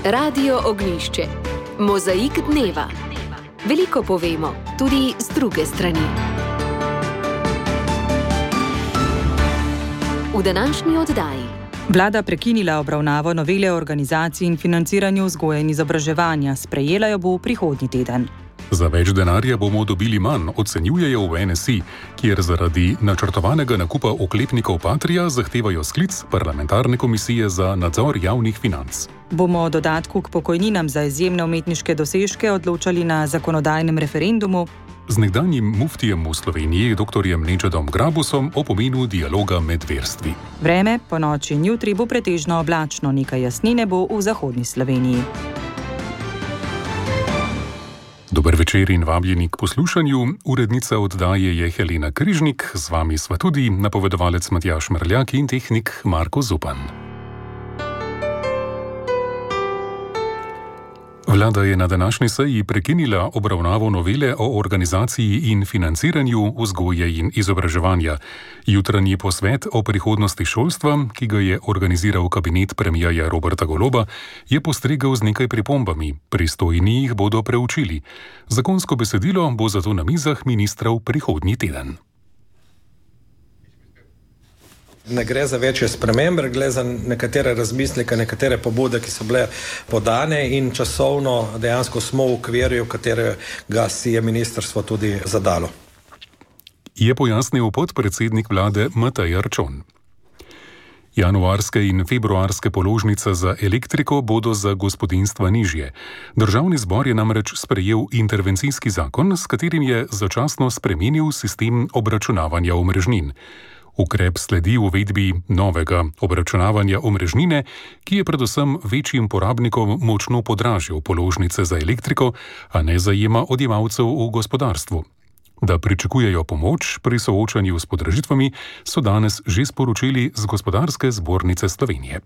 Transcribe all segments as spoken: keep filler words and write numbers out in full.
Radio Ognjišče. Mozaik dneva. Veliko povemo, tudi z druge strani. V današnji oddaji. Vlada prekinila obravnavo novele o organizaciji in financiranju vzgoje in izobraževanja. Sprejela jo bo prihodnji teden. Za več denarja bomo dobili manj, ocenjujejo v N S I, kjer zaradi načrtovanega nakupa oklepnikov Patria zahtevajo sklic parlamentarne komisije za nadzor javnih financ. Bomo o dodatku k pokojninam za izjemne umetniške dosežke odločali na zakonodajnem referendumu. Z nekdanjim muftijem v Sloveniji, doktorjem Nedžadom Grabusom, o pomenu dialoga med verstvi. Vreme po noči in jutri bo pretežno oblačno, nekaj jasnine bo v zahodni Sloveniji. Dober večer in vabljeni k poslušanju. Urednica oddaje je Helena Križnik, z vami sva tudi napovedovalec Matjaž Mrljak in tehnik Marko Zupan. Vlada je na današnji seji prekinila obravnavo novele o organizaciji in financiranju vzgoje in izobraževanja. Jutranji posvet o prihodnosti šolstva, ki ga je organiziral kabinet premierja Roberta Goloba, je postregel z nekaj pripombami. Pristojni jih bodo preučili. Zakonsko besedilo bo zato na mizah ministrov prihodnji teden. Ne gre za večje spremembe, gre za nekatere razmisleke, nekatere pobude, ki so bile podane in časovno dejansko smo v okvirju, katerega si je ministrstvo tudi zadalo. Je pojasnil podpredsednik vlade Matej Arčon. Januarske in februarske položnice za elektriko bodo za gospodinjstva nižje. Državni zbor je namreč sprejel intervencijski zakon, s katerim je začasno spremenil sistem obračunavanja omrežnin. Ukrep sledi uvedbi novega obračunavanja omrežnine, ki je predvsem večjim porabnikom močno podražil položnice za elektriko, a ne zajema odjemalcev v gospodarstvu. Da pričakujejo pomoč pri soočanju s podražitvami, so danes že sporočili z Gospodarske zbornice Slovenije.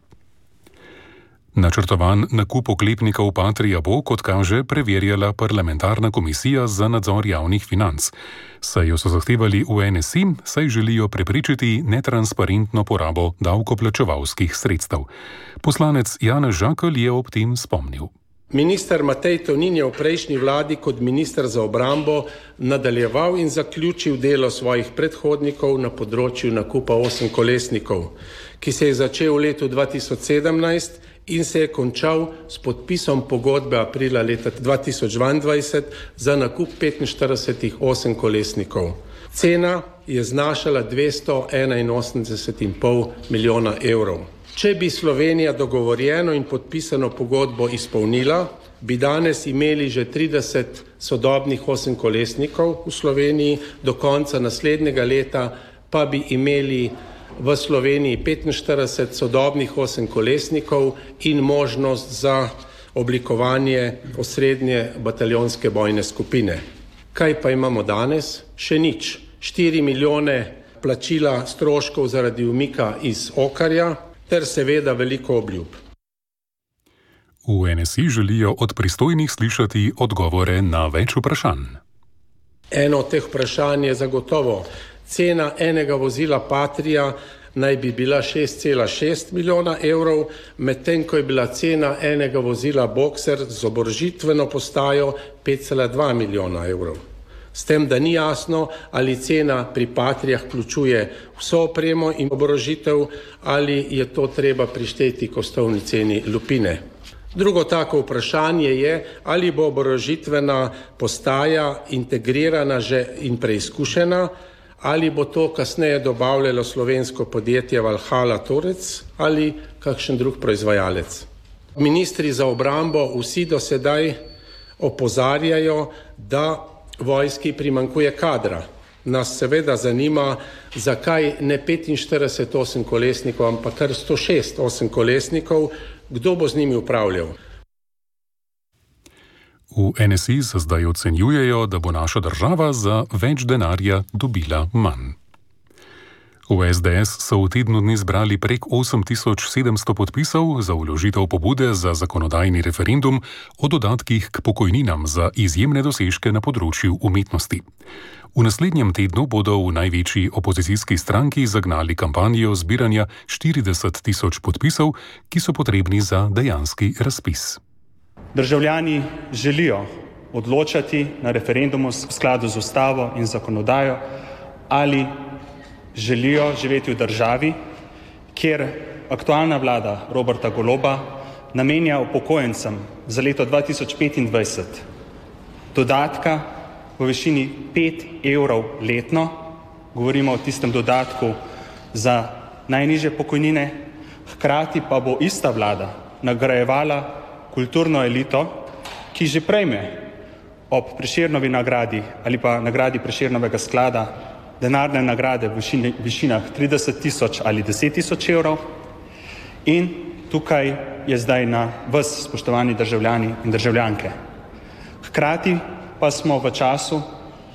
Načrtovan nakup oklepnikov Patria bo, kot kaže, preverjala parlamentarna komisija za nadzor javnih financ. Sejo so zahtevali v N S I, saj želijo preprečiti netransparentno porabo davkoplačevalskih sredstev. Poslanec Janez Žakelj je ob tem spomnil. Minister Matej Tonin je v prejšnji vladi kot minister za obrambo nadaljeval in zaključil delo svojih predhodnikov na področju nakupa osemkolesnikov, ki se je začel v letu dva tisoč sedemnajst in se je končal s podpisom pogodbe aprila leta dva tisoč dvaindvajset za nakup petinštirideset osemkolesnikov. Cena je znašala dvesto enainosemdeset in pol milijona evrov. Če bi Slovenija dogovorjeno in podpisano pogodbo izpolnila, bi danes imeli že trideset sodobnih osemkolesnikov v Sloveniji, do konca naslednjega leta pa bi imeli v Sloveniji petinštirideset sodobnih osemkolesnikov in možnost za oblikovanje osrednje bataljonske bojne skupine. Kaj pa imamo danes? Še nič. Štiri milijone plačila stroškov zaradi umika iz Okarja ter seveda veliko obljub. V N S I želijo od pristojnih slišati odgovore na več vprašanj. Eno od teh vprašanj je zagotovo. Cena enega vozila Patria naj bi bila šest cela šest milijona evrov, medtem ko je bila cena enega vozila Boxer z oborožitveno postajo pet cela dva milijona evrov. S tem, da ni jasno, ali cena pri Patrijah vključuje vso opremo in oborožitev, ali je to treba prišteti k osnovni ceni lupine. Drugo tako vprašanje je, ali bo oborožitvena postaja integrirana že in preizkušena, ali bo to kasneje dobavljalo slovensko podjetje Valhalla Torec ali kakšen drug proizvajalec. Ministri za obrambo vsi do sedaj opozarjajo, da vojski primanjkuje kadra. Nas seveda zanima, zakaj ne petinštirideset osemkolesnikov, ampak kar sto šest osemkolesnikov, kdo bo z njimi upravljal. V N S I se zdaj ocenjujejo, da bo naša država za več denarja dobila manj. V S D S so v tednu dni zbrali prek osem tisoč sedemsto podpisov za vložitev pobude za zakonodajni referendum o dodatkih k pokojninam za izjemne dosežke na področju umetnosti. V naslednjem tednu bodo v največji opozicijski stranki zagnali kampanjo zbiranja štirideset tisoč podpisov, ki so potrebni za dejanski razpis. Državljani želijo odločati na referendumu v skladu z ustavo in zakonodajo, ali želijo živeti v državi, kjer aktualna vlada Roberta Goloba namenja upokojencem za leto dva tisoč petindvajset dodatka v višini pet evrov letno, govorimo o tistem dodatku za najnižje pokojnine, hkrati pa bo ista vlada nagrajevala kulturno elito, ki že prejme ob Prešernovi nagradi ali pa nagradi Prešernovega sklada denarne nagrade v višini, višinah trideset tisoč ali deset tisoč evrov. In tukaj je zdaj na vas, spoštovani državljani in državljanke. Hkrati pa smo v času,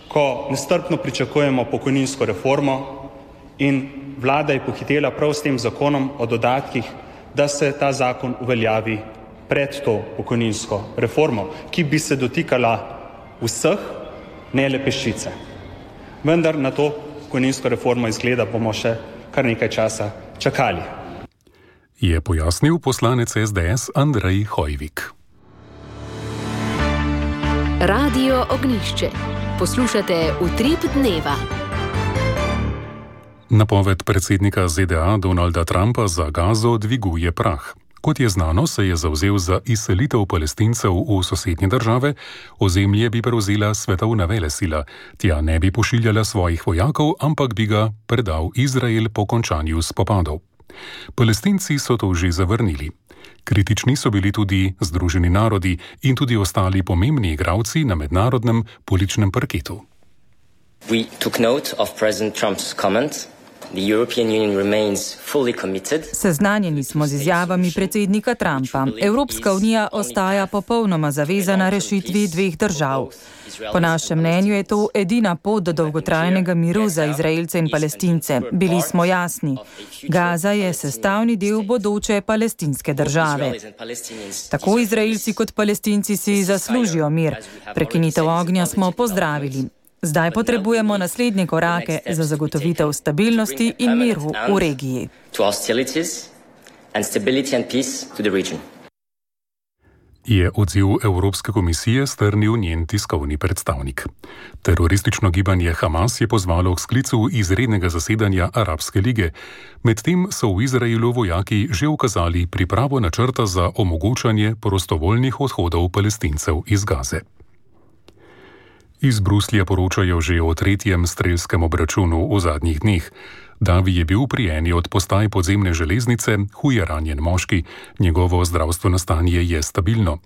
ko nestrpno pričakujemo pokojninsko reformo in vlada je pohitela prav s tem zakonom o dodatkih, da se ta zakon uveljavi pred to pokojninsko reformo, ki bi se dotikala vseh, ne le peščice. Vendar na to pokojninsko reformo izgleda bomo še kar nekaj časa čakali. Je pojasnil poslanec S D S Andrej Hojvik. Radio Ognjišče. Poslušate Utrip dneva. Napoved predsednika Z D A Donalda Trumpa za Gazo dviguje prah. Kot je znano, se je zavzel za izselitev Palestincev v sosednje države, ozemlje bi prevzela svetovna velesila, tja ne bi pošiljala svojih vojakov, ampak bi ga predal Izrael po končanju spopadov. Palestinci so to že zavrnili. Kritični so bili tudi Združeni narodi in tudi ostali pomembni igralci na mednarodnem političnem parketu. We took note of President Trump's comment. The European Union remains fully committed. Seznanjeni smo z izjavami predsednika Trumpa. Evropska unija ostaja popolnoma zavezana rešitvi dveh držav. Po našem mnenju je to edina pot do dolgotrajnega miru za Izraelce in Palestince. Bili smo jasni. Gaza je sestavni del bodoče palestinske države. Tako Izraelci kot Palestinci si zaslužijo mir. Prekinitev ognja smo pozdravili. Zdaj potrebujemo naslednje korake za zagotovitev stabilnosti in miru v regiji. Je odziv Evropske komisije strnil njen tiskovni predstavnik. Teroristično gibanje Hamas je pozvalo k sklicu izrednega zasedanja Arabske lige. Medtem so v Izraelu vojaki že ukazali pripravo načrta za omogočanje prostovoljnih odhodov Palestincev iz Gaze. Iz Bruslja poročajo že o tretjem strelskem obračunu v zadnjih dneh. Davi je bil pri eni od postaj podzemne železnice huje ranjen moški, njegovo zdravstveno stanje je stabilno.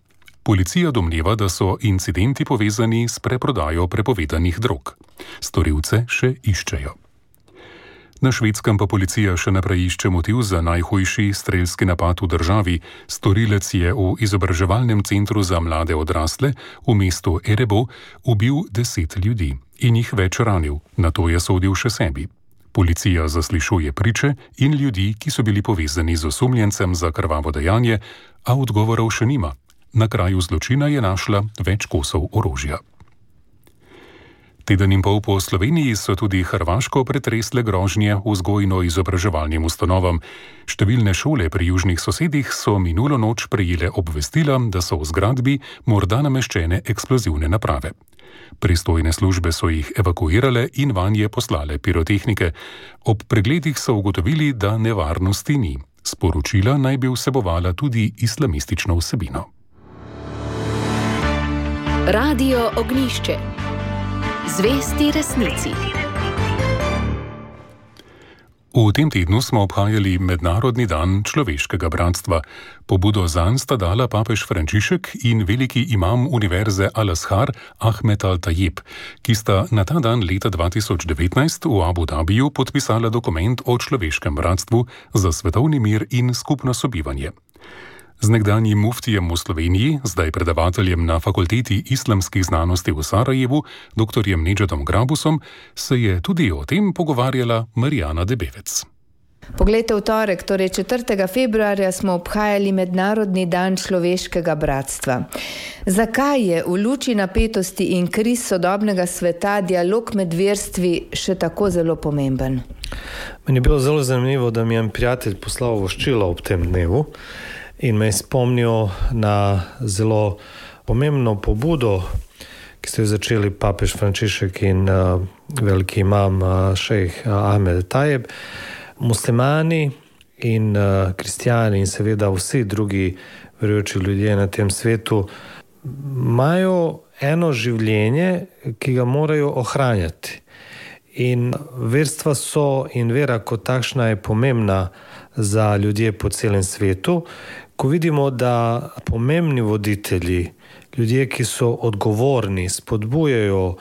Policija domneva, da so incidenti povezani s preprodajo prepovedanih drog. Storilce še iščejo. Na Švedskem pa policija še naprej išče motiv za najhujši strelski napad v državi. Storilec je v izobraževalnem centru za mlade odrasle v mestu Erebo ubil deset ljudi in jih več ranil, nato je sodil še sebi. Policija zaslišuje priče in ljudi, ki so bili povezani z osumljencem za krvavo dejanje, a odgovorov še nima. Na kraju zločina je našla več kosov orožja. Teden in pol po Sloveniji so tudi Hrvaško pretresle grožnje vzgojno-izobraževalnim ustanovam. Številne šole pri južnih sosedih so minulo noč prejele obvestila, da so v zgradbi morda nameščene eksplozivne naprave. Pristojne službe so jih evakuirale in vanje poslale pirotehnike. Ob pregledih so ugotovili, da nevarnosti ni. Sporočila naj bi vsebovala tudi islamistično vsebino. Radio Ognjišče. Zvesti resnici. V tem tednu smo obhajali Mednarodni dan človeškega bratstva. Pobudo zanj sta dala papež Frančišek in veliki imam univerze Al-Azhar Ahmed Al-Tajib, ki sta na ta dan leta dva tisoč devetnajst v Abu Dhabiju podpisala dokument o človeškem bratstvu za svetovni mir in skupno sobivanje. Z nekdanjim muftijem v Sloveniji, zdaj predavateljem na Fakulteti islamskih znanosti v Sarajevu, doktorjem Nedžadom Grabusom, se je tudi o tem pogovarjala Marijana Debevec. Poglejte, v torek, torej četrtega februarja, smo obhajali Mednarodni dan človeškega bratstva. Zakaj je v luči napetosti in kriz sodobnega sveta dialog med verstvi še tako zelo pomemben? Meni je bilo zelo zanimivo, da mi je en prijatelj poslal voščilo ob tem dnevu. in me je spomnil na zelo pomembno pobudo, ki ste jo začeli papež Frančišek in uh, veliki imam uh, šejh Ahmed Tajeb. Muslimani in uh, kristijani in seveda vsi drugi verujoči ljudje na tem svetu imajo eno življenje, ki ga morajo ohranjati. In verstva so in vera kot takšna je pomembna za ljudje po celem svetu. Ko vidimo, da pomembni voditelji, ljudje, ki so odgovorni, spodbujajo uh,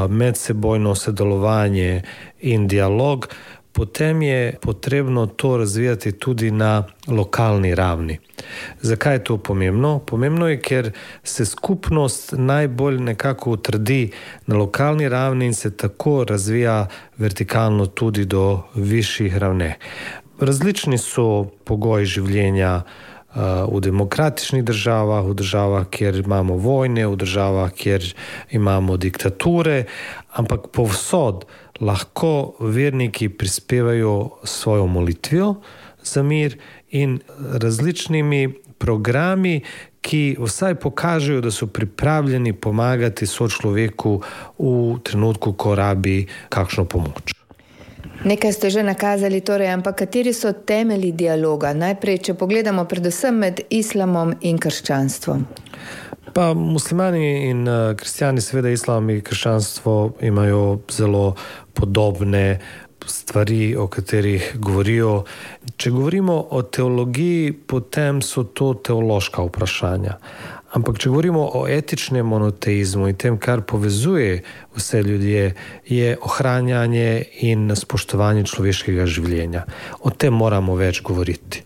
medsebojno sodelovanje in dialog, potem je potrebno to razvijati tudi na lokalni ravni. Zakaj je to pomembno? Pomembno je, ker se skupnost najbolj nekako utrdi na lokalni ravni in se tako razvija vertikalno tudi do višjih ravni. Različni so pogoji življenja v demokratičnih državah, v državah, kjer imamo vojne, v državah, kjer imamo diktature, ampak povsod lahko verniki prispevajo svojo molitvijo za mir in različnimi programi, ki vsaj pokažejo, da so pripravljeni pomagati sočloveku v trenutku, ko rabi kakšno pomoč. Nekaj ste že nakazali, torej, ampak kateri so temelji dialoga? Najprej, če pogledamo predvsem med islamom in krščanstvom. Pa muslimani in uh, kristijani, seveda islam in krščanstvo imajo zelo podobne stvari, o katerih govorijo. Če govorimo o teologiji, potem so to teološka vprašanja. Ampak če govorimo o etičnem monoteizmu in tem, kar povezuje vse ljudje, je ohranjanje in spoštovanje človeškega življenja. O tem moramo več govoriti.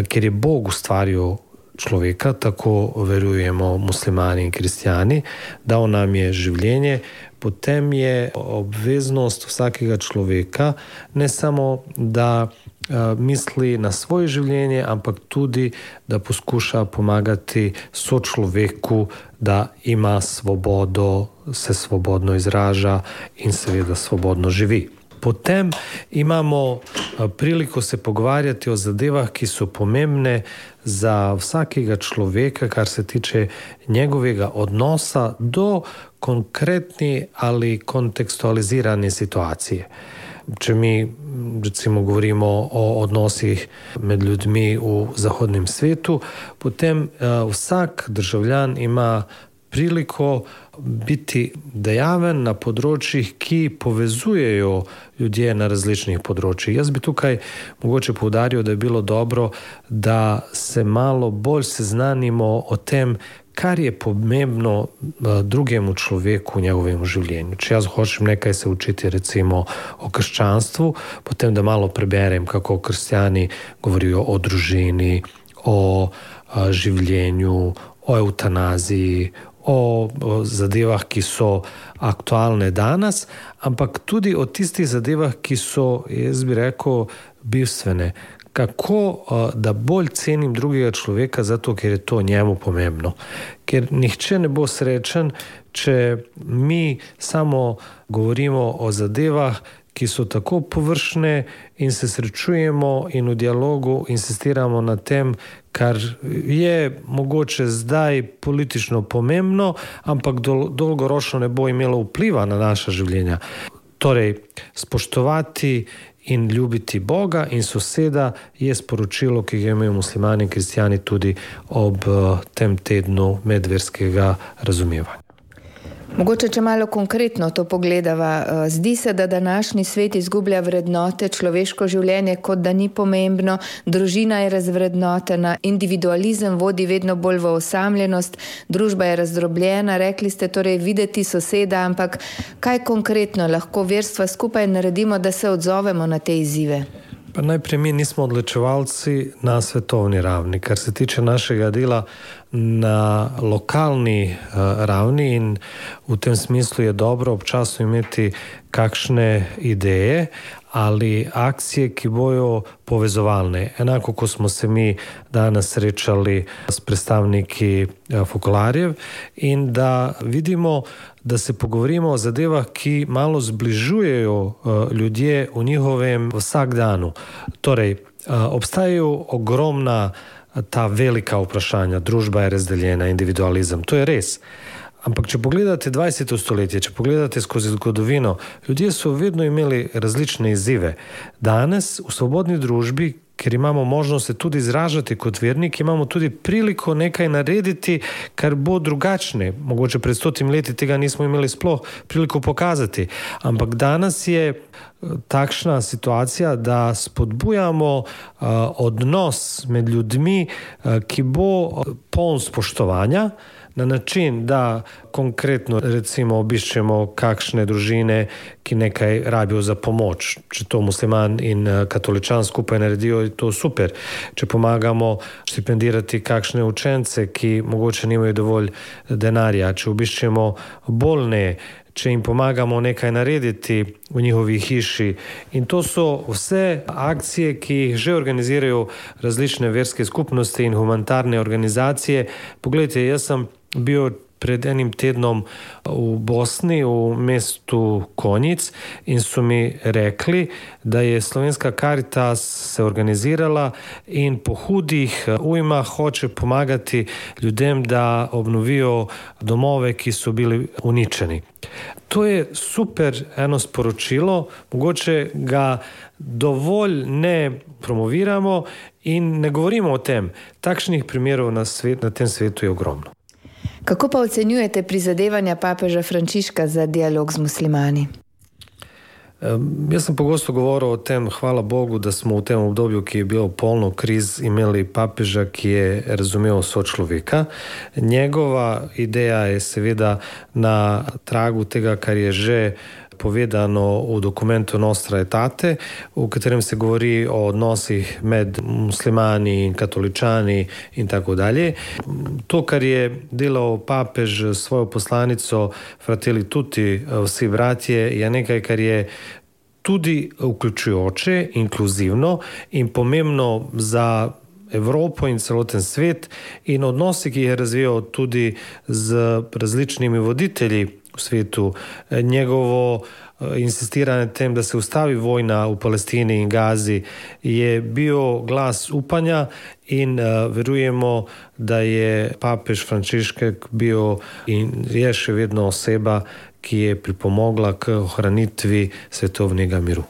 Ker je Bog ustvaril človeka, tako verujemo muslimani in kristijani, dal nam je življenje, potem je obveznost vsakega človeka ne samo, da uh, misli na svoje življenje, ampak tudi, da poskuša pomagati sočloveku, da ima svobodo, se svobodno izraža in seveda svobodno živi. Potem imamo priliko se pogovarjati o zadevah, ki so pomembne za vsakega človeka, kar se tiče njegovega odnosa do konkretne ali kontekstualizirane situacije. Če mi recimo govorimo o odnosih med ljudmi v zahodnem svetu, potem uh, vsak državljan ima priliko biti dejaven na področjih, ki povezujejo ljudje na različnih področjih. Jaz bi tukaj mogoče poudaril, da je bilo dobro, da se malo bolj seznanimo o tem, kar je pomembno drugemu človeku v njegovem življenju. Če jaz hočem nekaj se učiti recimo o krščanstvu, potem da malo preberem, kako kristjani govorijo o družini, o življenju, o eutanaziji, o zadevah, ki so aktualne danes, ampak tudi o tistih zadevah, ki so, jaz bi rekel, bistvene. Kako da bolj cenim drugega človeka, zato ker je to njemu pomembno. Ker nihče ne bo srečen, če mi samo govorimo o zadevah, ki so tako površne in se srečujemo in v dialogu insistiramo na tem, kar je mogoče zdaj politično pomembno, ampak dol- dolgoročno ne bo imelo vpliva na naša življenja. Torej, spoštovati in ljubiti Boga in soseda je sporočilo, ki ga imajo muslimani in kristijani tudi ob tem tednu medverskega razumevanja. Mogoče, če malo konkretno to pogledava, zdi se, da današnji svet izgublja vrednote, človeško življenje kot da ni pomembno, družina je razvrednotena, individualizem vodi vedno bolj v osamljenost, družba je razdrobljena, rekli ste torej videti soseda, ampak kaj konkretno lahko verstva skupaj naredimo, da se odzovemo na te izzive? Pa najprej mi nismo odločevalci na svetovni ravni, kar se tiče našega dela na lokalni uh, ravni in v tem smislu je dobro občasno imeti kakšne ideje ali akcije, ki bojo povezovalne. Enako, ko smo se mi danes srečali s predstavniki Fokolarjev in da vidimo, da se pogovorimo o zadevah, ki malo zbližujejo uh, ljudje v njihovem vsakdanu. Torej, uh, obstajajo ogromna ta velika vprašanja. Družba je razdeljena, individualizem. To je res. Ampak če pogledate dvajseto stoletje, če pogledate skozi zgodovino, ljudje so vedno imeli različne izzive. Danes v svobodni družbi, ker imamo možnost se tudi izražati kot vernik, imamo tudi priliko nekaj narediti, kar bo drugačne. Mogoče pred stotim leti tega nismo imeli sploh priliko pokazati. Ampak danes je takšna situacija, da spodbujamo uh, odnos med ljudmi, uh, ki bo poln spoštovanja, na način, da konkretno recimo obiščemo kakšne družine, ki nekaj rabijo za pomoč. Če to musliman in katoličan skupaj naredijo, je to super. Če pomagamo štipendirati kakšne učence, ki mogoče nimajo dovolj denarja, če obiščemo bolne, če jim pomagamo nekaj narediti v njihovi hiši. In to so vse akcije, ki jih že organizirajo različne verske skupnosti in humanitarne organizacije. Poglejte, jaz sem bil pred enim tednom v Bosni, v mestu Konjic, in so mi rekli, da je Slovenska Karitas se organizirala in po hudih ujmah hoče pomagati ljudem, da obnovijo domove, ki so bili uničeni. To je super eno sporočilo, mogoče ga dovolj ne promoviramo in ne govorimo o tem. Takšnih primerov na, svet, na tem svetu je ogromno. Kako pa ocenjujete prizadevanja papeža Frančiška za dialog z muslimani? Jaz sem pogosto govoril o tem, hvala Bogu, da smo v tem obdobju, ki je bilo polno kriz, imeli papeža, ki je razumel sočloveka. Njegova ideja je seveda na tragu tega, kar je že povedano v dokumentu Nostra Aetate, v katerem se govori o odnosih med muslimani in katoličani in tako dalje. To, kar je delal papež svojo poslanico Fratelli Tutti, vsi bratje, je nekaj, kar je tudi vključujoče, inkluzivno in pomembno za Evropo in celoten svet in odnosi, ki jih je razvijal tudi z različnimi voditelji v svetu. Njegovo insistiranje tem, da se ustavi vojna v Palestini in Gazi, je bil glas upanja in uh, verujemo, da je papež Frančišek bil in je še vedno oseba, ki je pripomogla k ohranitvi svetovnega miru.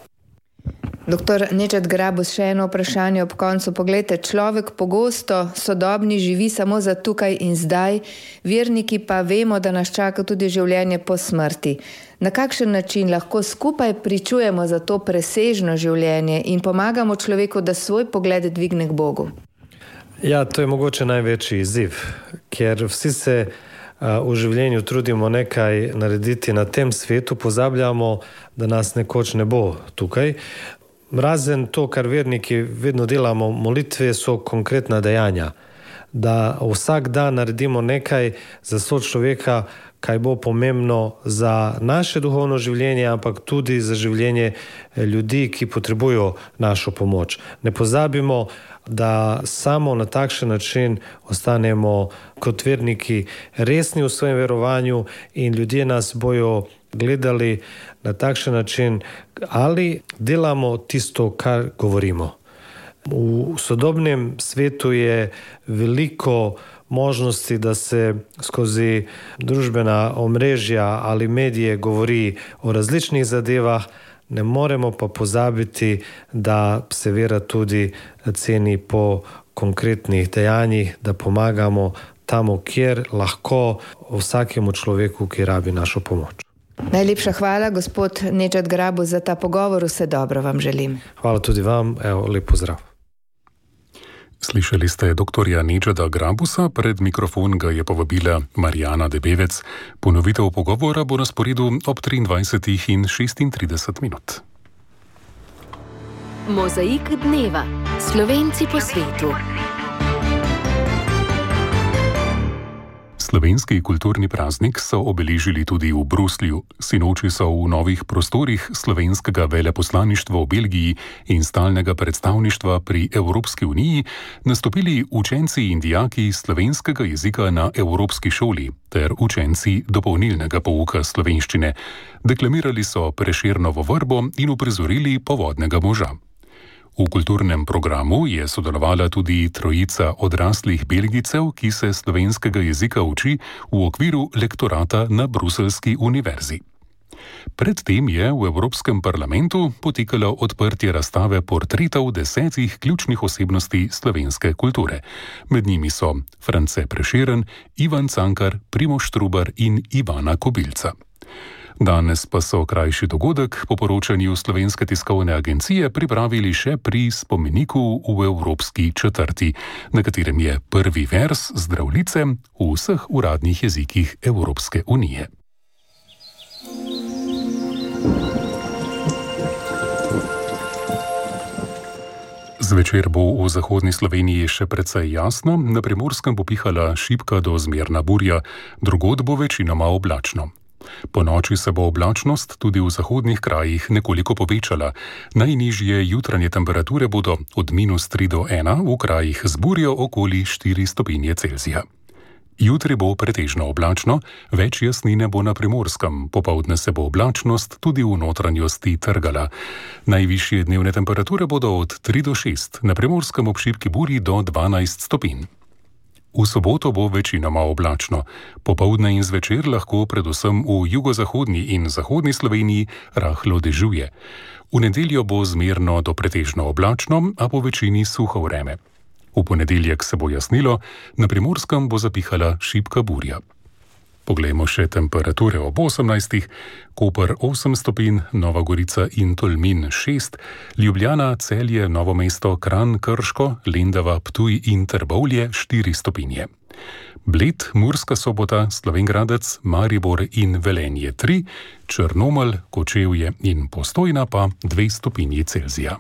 Doktor Nedžad Grabus, še eno vprašanje ob koncu. Poglejte, človek pogosto sodobni živi samo za tukaj in zdaj, verniki pa vemo, da nas čaka tudi življenje po smrti. Na kakšen način lahko skupaj pričujemo za to presežno življenje in pomagamo človeku, da svoj pogled dvigne k Bogu? Ja, to je mogoče največji izziv, ker vsi se v življenju trudimo nekaj narediti na tem svetu, pozabljamo, da nas nekoč ne bo tukaj. Razen to, kar verniki vedno delamo, molitve so konkretna dejanja. Da vsak dan naredimo nekaj za sočloveka, kaj bo pomembno za naše duhovno življenje, ampak tudi za življenje ljudi, ki potrebujo našo pomoč. Ne pozabimo, da samo na takšen način ostanemo kot verniki resni v svojem verovanju in ljudje nas bojo gledali na takšen način, ali delamo tisto, kar govorimo. V sodobnem svetu je veliko možnosti, da se skozi družbena omrežja ali medije govori o različnih zadevah, ne moremo pa pozabiti, da se vera tudi ceni po konkretnih dejanjih, da pomagamo tamo, kjer lahko vsakemu človeku, ki rabi našo pomoč. Najlepša hvala, gospod Nedžad Grabus, za ta pogovor. Vse dobro vam želim. Hvala tudi vam. Evo, lep pozdrav. Slišali ste doktorja Nedžada Grabusa, pred mikrofon ga je povabila Marijana Debevec. Ponovitev pogovora bo na sporedu ob triindvajsetih in šestintrideset minut. Mozaik dneva. Slovenci po svetu. Slovenski kulturni praznik so obeležili tudi v Bruslju. Sinoči so v novih prostorih slovenskega veleposlaništva v Belgiji in stalnega predstavništva pri Evropski uniji nastopili učenci in dijaki slovenskega jezika na Evropski šoli ter učenci dopolnilnega pouka slovenščine. Deklamirali so Prešernovo vrbo in uprizorili Povodnega moža. V kulturnem programu je sodelovala tudi trojica odraslih Belgijcev, ki se slovenskega jezika uči v okviru lektorata na bruseljski univerzi. Predtem je v Evropskem parlamentu potekalo odprtje razstave portretov desetih ključnih osebnosti slovenske kulture. Med njimi so France Prešeren, Ivan Cankar, Primož Trubar in Ivana Kobilca. Danes pa so krajši dogodek po poročanju Slovenske tiskovne agencije pripravili še pri spomeniku v Evropski četrti, na katerem je prvi vers Zdravljice v vseh uradnih jezikih Evropske unije. Zvečer bo v zahodni Sloveniji še precej jasno, na Primorskem bo pihala šibka do zmerna burja, drugod bo večinoma oblačno. Ponoči se bo oblačnost tudi v zahodnih krajih nekoliko povečala. Najnižje jutranje temperature bodo od minus tri do ena, v krajih z burjo okoli štiri stopinje Celzija. Jutri bo pretežno oblačno, več jasnine bo na Primorskem, popoldne se bo oblačnost tudi v notranjosti trgala. Najvišje dnevne temperature bodo od tri do šest, na Primorskem ob šibki burji do dvanajst stopinj. V soboto bo večinoma oblačno. Popoldne in zvečer lahko predvsem v jugozahodni in zahodni Sloveniji rahlo dežuje. V nedeljo bo zmerno do pretežno oblačno, a po večini suho vreme. V ponedeljek se bo jasnilo, na Primorskem bo zapihala šibka burja. Poglejmo še temperature ob osemnajstih, Koper osem stopinj, Nova Gorica in Tolmin šest, Ljubljana, Celje, Novo mesto, Kranj, Krško, Lendava, Ptuj in Trbovlje štiri stopinje. Bled, Murska Sobota, Slovenj Gradec, Maribor in Velenje tri, Črnomelj, Kočevje in Postojna pa dve stopinji Celzija.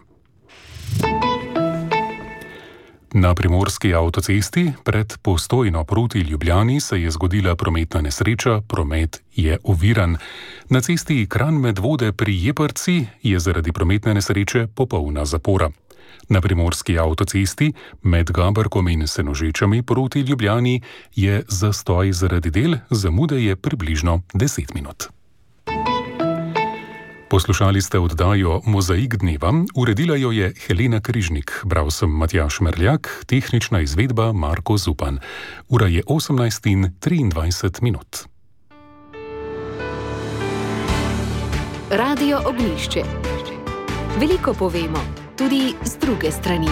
Na primorski avtocesti pred Postojno proti Ljubljani se je zgodila prometna nesreča, promet je oviran. Na cesti Kranj-Medvode pri Jeprci je zaradi prometne nesreče popolna zapora. Na primorski avtocesti med Gaberkom in Senožečami proti Ljubljani je zastoj zaradi del, zamude je približno deset minut. Poslušali ste oddajo Mozaik dneva, uredila jo je Helena Križnik, bral sem Matjaž Merljak, tehnična izvedba Marko Zupan. Ura je osemnajst in triindvajset minut. Radio Ognjišče. Veliko povemo, tudi z druge strani.